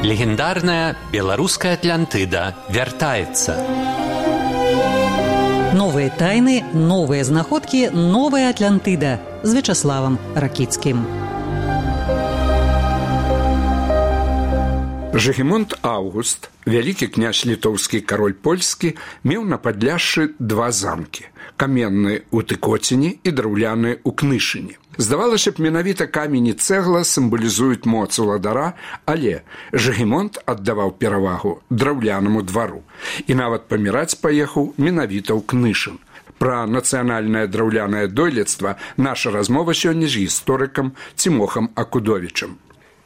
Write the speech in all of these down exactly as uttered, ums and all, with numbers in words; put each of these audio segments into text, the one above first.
Легендарная белорусская Атлантыда вяртаецца. Новые тайны, новые знаходкі, новая Атлантыда з Вячаславам Ракіцкім. Жыгімонт Аўгуст, вялікі князь літоўскі, кароль польскі, меў на Падляшшы два замкі – каменны ў Тыкоціне і драўляны ў Кнышыне. Здавалася б, менавіта камень і цэгла сімвалізуюць моц уладара, але Жыгімонт аддаваў перавагу драўлянаму двару і нават паміраць паехаў менавіта ў Кнышын. Пра нацыянальнае драўлянае дойлідства наша размова сёння з гісторыкам Цімохам Акудовічам.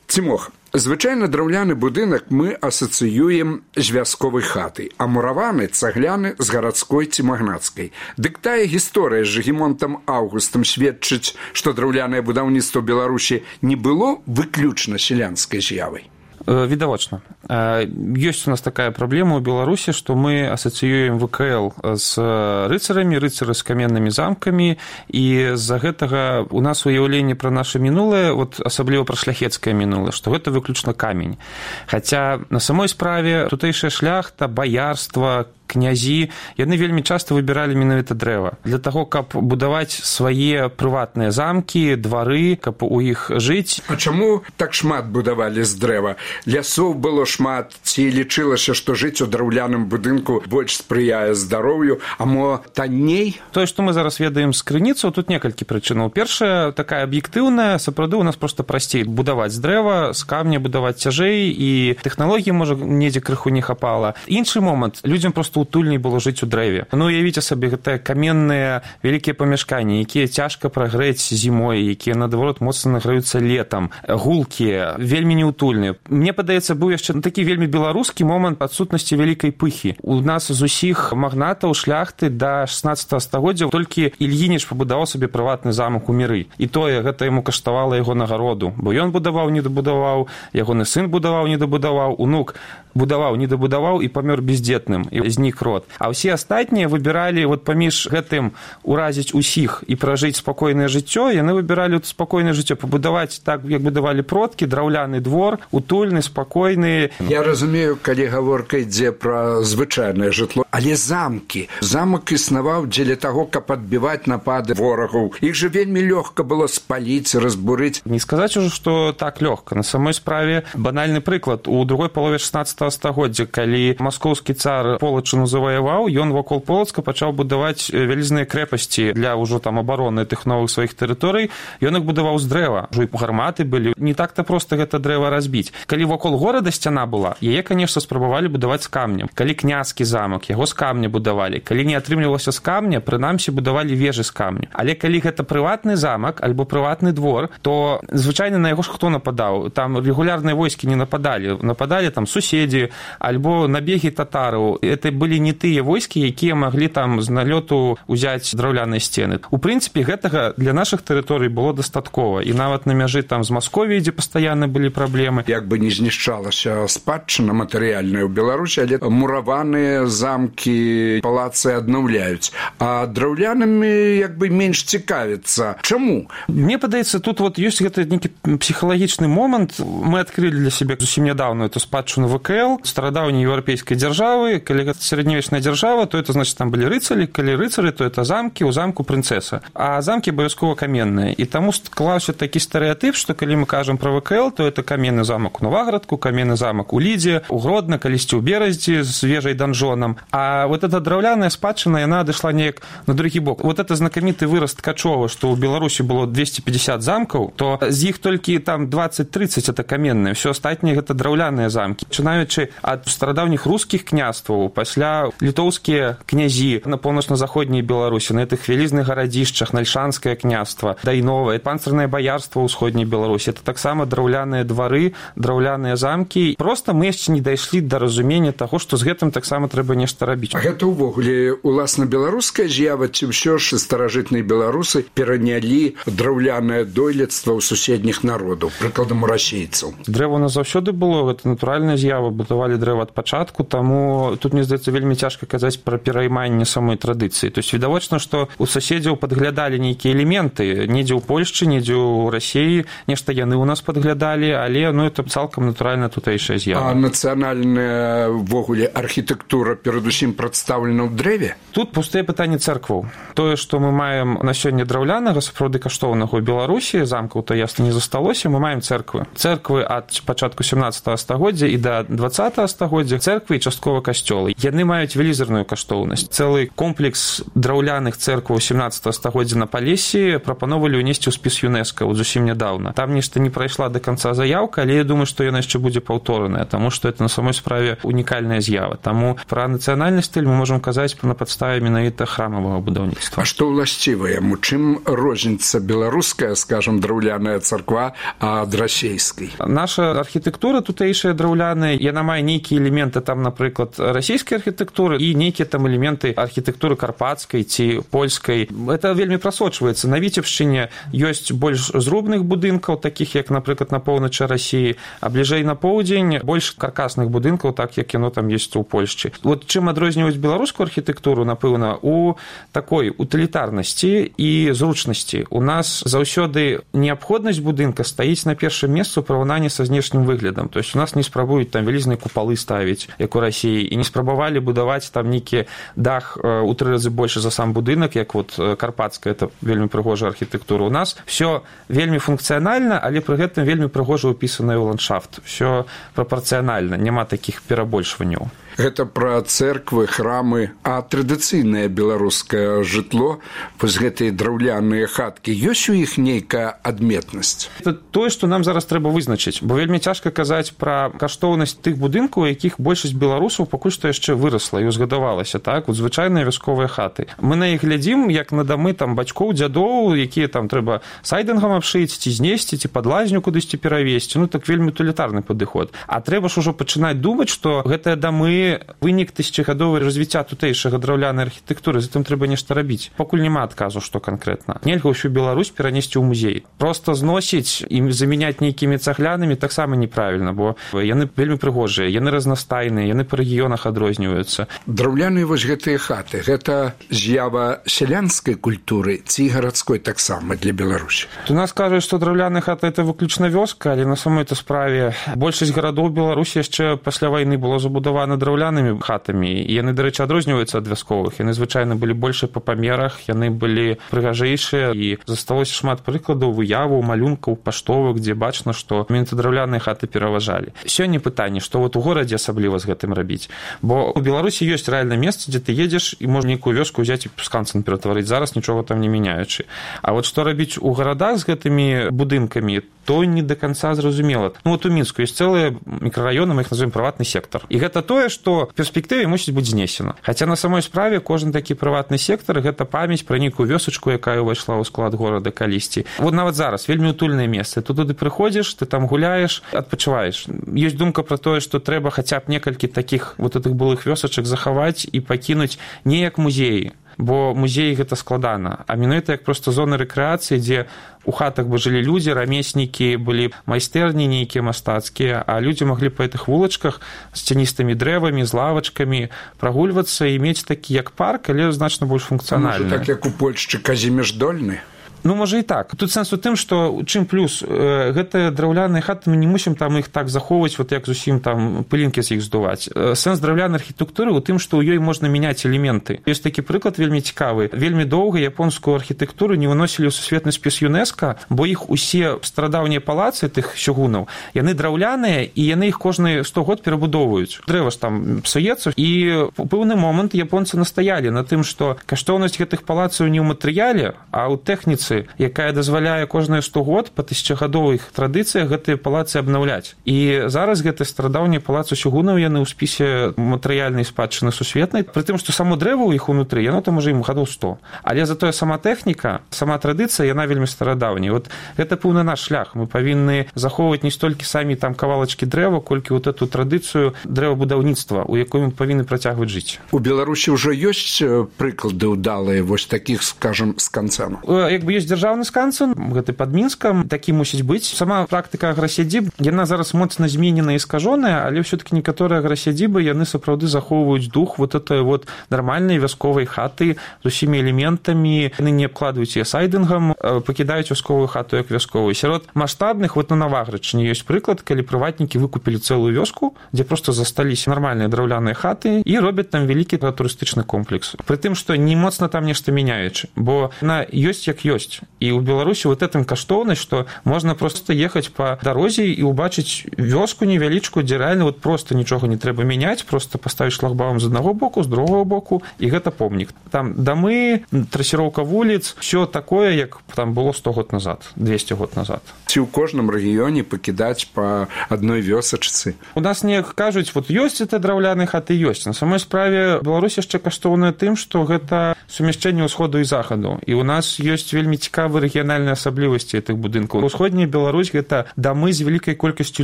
Цімох, звычайна драўляны будынак мы асацыюем з вясковай хатай, а мураваны цагляны з гарадской ці магнацкай. Дык тая гісторыя з Жыгімонтам Аўгустам сведчыць, што драўлянае будаўніцтва Беларусі не было выключна сялянскай з'явай. Відавочна. Ёсць у нас такая праблема ў Беларусі, што мы асацыюем вэ ка эл з рыцарамі, рыцары з каменнымі замкамі, і з-за гэтага у нас уяўленне пра наша мінулае, вот асабліва пра шляхецкае мінулае, што гэта выключна камень. Хаця на самой справе тутэйшая шляхта, баярства, князі, яны вельмі часта выбіралі менавіта дрэва. Для таго, каб будаваць свае прыватныя замкі, двары, каб у іх жыць. А чаму так шмат будавалі з дрэва? Лясоў было шмат, ці лічылася, што жыць у драўляным будынку больш спрыяе здароўю, а мо танней? Тое, што мы зараз ведаем з крыніцаў, тут некалькі прычынаў. Першая, такая аб'ектыўная, сапраўды у нас проста прасцей будаваць з дрэва, з камня будаваць цяжэй, і тэхналогіі, можа, недзе крыху не хапала. Іншы момант, людзям проста утульней было жыць у дрэве. Ну, уявіце сабе, гэтыя каменныя вялікія памяшканні, якія цяжка прагрэць зімой, якія, наадварот, моцна награюцца летам, гулкія, вельмі неутульныя. Мне падаецца, быў яшчэ такі вельмі беларускі момант адсутнасці вялікай пыхі. У нас з усіх магнатаў, шляхты да шаснаццатага стагоддзя толькі Ільініч пабудаваў сабе прыватны замак у Міры. І тое, гэта яму каштавала яго нагароду. Бо ён будаваў, не дабудаваў, ягоны сын будаваў, не дабудаваў, унук будаваў, не дабудаваў і памёр бездзетным, і знік род. А ўсе астатнія выбіралі вот паміж гэтым уразіць усіх і пражыць спакойнае жыццё, яны выбіралі спакойнае жыццё, пабудаваць так, як будавалі продкі, драўляны двор, утульны, спакойны. Я разумею, калі гаворка ідзе пра звычайнае жытло, але замкі. Замак існаваў дзеля таго, каб адбіваць напады ворагаў. Іх жа вельмі лёгка было спаліць, разбурыць. Не сказаць ужо, што так лёгка. На самой справе банальны прыклад. У другой палове шаснаццатага стагоддзя, калі маскоўскі цар Полачыну заваяваў, ён вакол Полацка пачаў будаваць вялізныя крэпасці для ўжо там абароны тых новых сваіх тэрыторый. Ён іх будаваў з дрэва. Ужо і гарматы былі. Не так-то проста гэта дрэва разбіць. Калі вакол горада сцяна была, яе, канешне, спрабавалі будаваць з камнем. Калі княскі замак, яго з камня будавалі. Калі не атрымлівалася з камня, прынамсі будавалі вежы з камня. Але калі гэта прыватны замак альбо прыватны двор, то звычайна на яго ж хто нападаў? Там рэгулярныя войскі не нападалі. Нападалі там суседзі альбо набегі татараў. Это былі не тыя войскі, якія маглі там з налёту ўзяць драўляныя сцены. У прынцыпе, гэтага для нашых тэрыторый было дастаткова. І нават на мяжы там з Масковіяй, дзе пастаянна былі праблемы. Як бы не знішчалася спадчына матэрыяльная ў Беларусі, але мураваныя замкі, палацы аднаўляюць. А драўлянымі як бы менш цікавіцца. Чаму? Мне падаецца, тут вот ёсць гэты нейкі псіхалагічны момант. Мы адкрылі для сябе зусім нядаўна эту спадчыну вэ ка эл, старадаўняй еўрапейскай дзяржавы. Калі гэта сярэднявечная дзяржава, то это значит там былі рыцары, калі рыцары, то это замкі, у замку прынцэса. А замкі абавязкова каменныя. І таму склаўся такі стэрэатып, што калі мы кажам пра вэ ка эл, то это каменны замак у Новаградку, каменны замак у Лідзе, у Гродна, калісьці ў Бераздзі з вежай-данжонам. А вот эта драўляная спадчына, яна адышла неяк на другі бок. Вот это знакаміты выраз Ткачова, што ў Беларусі было двести пятьдесят замкаў, то з іх толькі там двадцать-тридцать это каменныя, все астатнія гэта драўляныя замкі. Пачынаючы ад старадаўніх рускіх княстваў, пасля літоўскія князі на паўночна-заходняй Беларусі, на гэтых вялізных гарадзішчах, Нальшанскае княства, Дайновае, панцырнае баярства ў ўсходняй Беларусі. Это таксама драўляныя двары, драўляныя замкі. Проста мы яшчэ не дайшлі да разумення таго, што з гэтым таксама трэба нешта рабіць. А гэта ўвогуле уласна беларуская з'ява, ці ўсё ж старажытныя беларусы перанялі драўлянае дойлідства ў суседніх народаў, прыкладам у расейцаў? Дрэва у нас заўсёды было, гэта натуральная з'ява, будавалі дрэва ад пачатку, таму тут, мне здаецца, вельмі цяжка казаць пра перайманне самой традыцыі. То есть відавочна, што у суседзяў падглядалі нейкія элементы, недзе ў Польшчы, недзе ў Расіі, нешта яны ў нас падглядалі, але ну это цалкам натуральна тутэйшая з'ява. А нацыянальная ввогуле архітэктура перадусім прадстаўлена ў дрэве? Тут пустыя пытанні цэркваў. Тое, што мы маем на сёння драўлянага, сапраўды каштоўнага ў Беларусі, замкаў то ясна не засталося, мы маем цэрквы. Цэрквы ад пачатку сямнаццатага стагоддзя і да дваццатага стагоддзя, цэрквы і часткова касцёлы. Яны маюць велізарную каштоўнасць. Цэлы комплекс драўляных цэркваў сямнаццатага стагоддзя на Палесі прапановалі ўнесці ў спіс ЮНЕСКО вот зусім нядаўна. Там нешта не прайшла да канца заяўка, але я думаю, што яна яшчэ будзе паўтораная, таму што это на самой справе унікальная з'ява. Таму пра нацыянальны стыль мы можам казаць на падставе менавіта храмавага будаўніцтва. А што ўласціва яму? Чым розніца беларуская, скажам, драўляная царква ад расейскай? Наша архітэктура тутэйшая драўляная, яна мае нейкія элементы там, напрыклад, расійскай архітэктуры і нейкія там элементы архітэктуры карпацкай ці польскай. Это вельмі прасочваецца. На Віцебшчыне ёсць больш зрубных будынкаў, такіх як, напрыклад, на поўначы Расіі, а бліжэй на поўдзень больш каркасных будынкаў, так як яно там ёсць у Польшчы. Вот чым адрозніваюць беларускую архітэктуру, напэўна, у такой утылітарнасці і зручнасці. У нас заўсёды неабходнасць будынка стаіць на першым месцы ў параўнанні са знешнім выглядам. То есть у нас не спрабуюць там вялізныя купалы ставіць, як у Расіі, і не спрабавалі будаваць там нейкі дах у тры разы больш за сам будынак, як вот карпацкая, это вельмі прыгожая архітэктура. У нас все вельмі функцыянальна, але пры гэтым вельмі прыгожа ўпісаная ў ландшафт. Все прапорцыянальна, няма такіх перабольшванняў. Гэта пра цэрквы, храмы, а традыцыйнае беларускае жытло, вось гэтыя драўляныя хаткі, ёсць у іх нейкая адметнасць? Это тое, што нам зараз трэба вызначыць, бо вельмі цяжка казаць пра каштоўнасць тых будынкаў, якіх большасць беларусаў пакуль што яшчэ вырасла і узгадавалася, так, вот звычайныя вясковыя хаты. Мы на іх глядзім, як на дамы там бацькоў, дзядоў, якія там трэба сайдынгам абшыць, ці знесці, ці пад лазню кудысьці перавесці. Ну, так вельмі утылітарны падыход. А трэба ж ужо пачынаць думаць, што гэтыя дамы вынік тысячагадовага развіцця тутэйшага драўлянай архітэктуры, затым трэба нешта рабіць. Пакуль няма адказу, што канкрэтна. Нельга ўсю Беларусь перанесці ў музей. Проста зносіць і замяняць нейкімі цаглянамі таксама неправільна, бо яны вельмі прыгожыя, яны разнастайныя, яны па рэгіёнах адрозніваюцца. Драўляныя вось гэтыя хаты, гэта з'ява сялянскай культуры ці гарадской таксама для Беларусі? У нас кажуць, што драўляная хата это выключна вёска, але на самой-то справе большасць гарадоў Беларусі яшчэ пасля вайны было забудавана драўлянымі хатамі. І яны, дарэчы, адрозніваюцца ад вясковых. Яны звычайна былі больш па памерах, яны былі прыгажэйшыя, і засталося шмат прыкладаў выяваў, малюнкаў, паштовак, дзе бачна, што менавіта драўляныя хаты пераважалі. Сёння пытанне, што вот у горадзе асабліва з гэтым рабіць. Бо у Беларусі ёсць рэальна месца, дзе ты едзеш і можна нейкую вёску ўзяць і сканцэн ператварыць, зараз нічога там не мяняючы. А вот што рабіць у гарадах з гэтымі будынкамі, то не да канца зразумела. Ну вот у Мінску ёсць цэлыя мікрараёны, мы іх называем прыватны сектар. І гэта тое, што в перспектыве мусіць быць знесена. Хаця на самой справе кожны такі прыватны сектар гэта памяць пра нейкую вёсачку, якая ўвайшла ў склад горада калісьці. Вот нават зараз вельмі утульнае месца. Тут туды прыходзіш, ты там гуляеш, адпачываеш. Ёсць думка пра тое, што трэба хаця б некалькі такіх вот гэтых былых вёсачак захаваць і пакінуць не як музеі. Бо музеі гэта складана, а менавіта як проста зоны рэкрэацыі, дзе у хатах бы жылі людзі, рамеснікі, былі майстэрні нейкія мастацкія, а людзі маглі па гэтых вулачках з цяністымі дрэвамі, з лавачкамі прагульвацца і мець такі як парк, але значна больш функцыянальны. Можа, так як у Польшчы Казіміш Дольны? Ну, можа і так. Тут сэнс у тым, што чым плюс, э, гэтыя драўляныя хаты, мы не мусім там іх так захоўваць, вот як зусім там пылінкі з іх здуваць. Э, сэнс драўлянай архітэктуры ў тым, што ў ёй можна мяняць элементы. Ёсць такі прыклад вельмі цікавы. Вельмі доўга японскую архітэктуру не выносілі ў сусветны спіс ЮНЕСКО, бо іх усе старадаўнія палацы тых сёгунаў, яны драўляныя, і яны іх кожны сто год перабудоўваюць. Дрэва ж там псуецца, і ў пэўны момант японцы настаялі на тым, што каштоўнасць гэтых палацаў не ў матэрыяле, а ў тэхніцы, якая дазваляе кожныя сто год па тысячагадовых традыцыях гэтыя палацы абнаўляць. І зараз гэты старадаўнія палацы сёгунаў, яны ў спісе матэрыяльнай спадчыны сусветнай, пры тым, што само дрэва ў іх унутры, яно там уже ім гадоў сто. Але затое сама тэхніка, сама традыцыя, яна вельмі старадаўняя. Вот гэта пэўны наш шлях. Мы павінны захоўваць не столькі самі там кавалачкі дрэва, колькі вот эту традыцыю дрэвабудаўніцтва, у якой мы павінны працягваць жыць. У Беларусі ўжо ёсць прыклады ўдалыя вось такіх, скажам, сканцэнаў? Як бы ёсць ёсць дзяржаўны скансен, гэты пад Мінскам, такі мусіць быць. Сама практыка аграсядзіб, яна зараз моцна зменена і скажоная, але ўсё-таки некаторыя аграсядзібы, яны сапраўды захоўваюць дух вот этой вот нармальнай вясковай хаты з усімі элементамі, яны не абкладваюць яе сайдынгам, пакідаюць вясковую хату як вясковую. Сярод маштабных, вот на Наваграчыне ёсць прыклад, калі прыватнікі выкупілі цэлую вёску, дзе проста засталіся нармальныя драўляныя хаты і робяць там вялікі турыстычны комплекс. Пры тым, што не моцна там нешта мяняючы, бо яна ёсць як ёсць. І ў Беларусі вот этым каштоўнасць, што можна проста ехаць па дарозе і ўбачыць вёску невялічку, дзе рэальна вот проста нічога не трэба мяняць, проста паставіць шлагбаум з аднаго боку, з другого боку, і гэта помнік. Там дамы, трасіроўка вуліц, ўсё такое, як там было сто год назад, двесце год назад. Ці ў кожным рэгіёне пакідаць па адной вёсачцы? У нас не кажуць, вот ёсць это драўляныя хаты, ёсць. На самой справе Беларусь яшчэ каштоўная тым, што гэта сумяшчэнне ўсходу і захаду. І у нас ёсць вельмі цікавыя рэгіянальныя асаблівасці гэтых будынкаў. Усходняя Беларусь – гэта дамы з вялікай колькасцю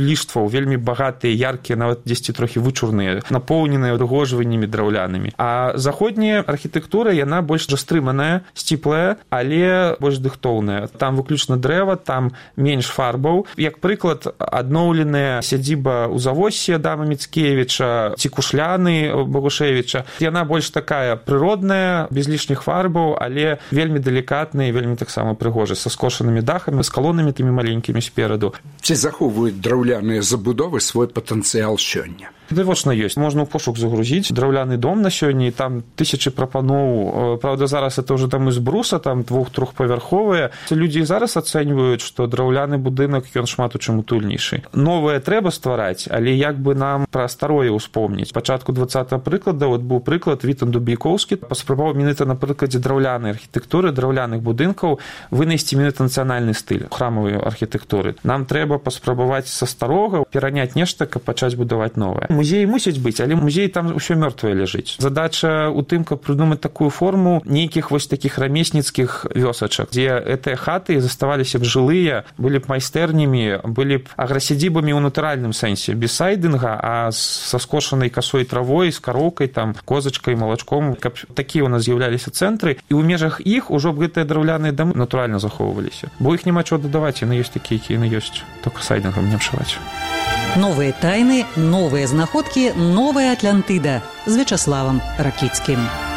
ліштваў, вельмі багатыя, яркія, нават дзесьці трохі вычурныя, напоўненыя ўпрыгожваннямі драўлянымі. А заходняя архітэктура, яна больш растрыманая, сціплая, але больш дыхтоўная. Там выключна дрэва, там менш фарбаў. Як прыклад, адноўленая сядзіба ў Завоссі Адама Міцкевіча ці Кушляны Богушевіча. Яна больш такая прыродная, без лішніх фарбаў, але вельмі далікатная і вельмі таксама прыгожая, са скошанымі дахамі, з калонамі тымі маленькімі спераду. Ці захоўваюць драўляныя забудовы свой патэнцыял сёння? Відавочна ёсць. Можна ў пошук загрузіць драўляны дом на сёння, і там тысячы прапаноў. Праўда, зараз это ўжо дамы з бруса, там двух-трохпавярховыя. Людзі зараз ацэньваюць, што драўляны будынак, ён шмат у чым утульнейшы. Новае трэба ствараць, але як бы нам пра старое ўспомніць. Пачатку двадцатага прыклада, от быў прыклад Вітан Дубейкоўскі, паспрабаваў менавіта на прыкладзе драўлянай архітэктуры, драўляных будынкаў вынайсці менавіта нацыянальны стыль храмавай архітэктуры. Нам трэба паспрабаваць са старога пераняць нешта, каб пачаць будаваць новае. Музей мусіць быць, але музей там ўсё мёртвае ляжыць. Задача ў тым, каб прыдумаць такую форму нейкіх вось такіх рамесніцкіх вёсачак, дзе гэтыя хаты заставаліся б жылыя, былі б майстэрнямі, былі б аграсядзібамі ў натуральным сэнсе, без сайдынга, а са скошанай касой травой, з кароўкай, там, козачкай, малачком, каб такія ў нас з'яўляліся цэнтры, і ў межах іх ужо б гэтыя драўляныя дамы натуральна захоўваліся. Бо іх няма чого дадаваць, яны ёсць такія, якія яны ёсць, толькі сайдынгам не абшываць. Новые тайны, новые знаходкі, новая Атлантыда з Вячаславам Ракіцкім.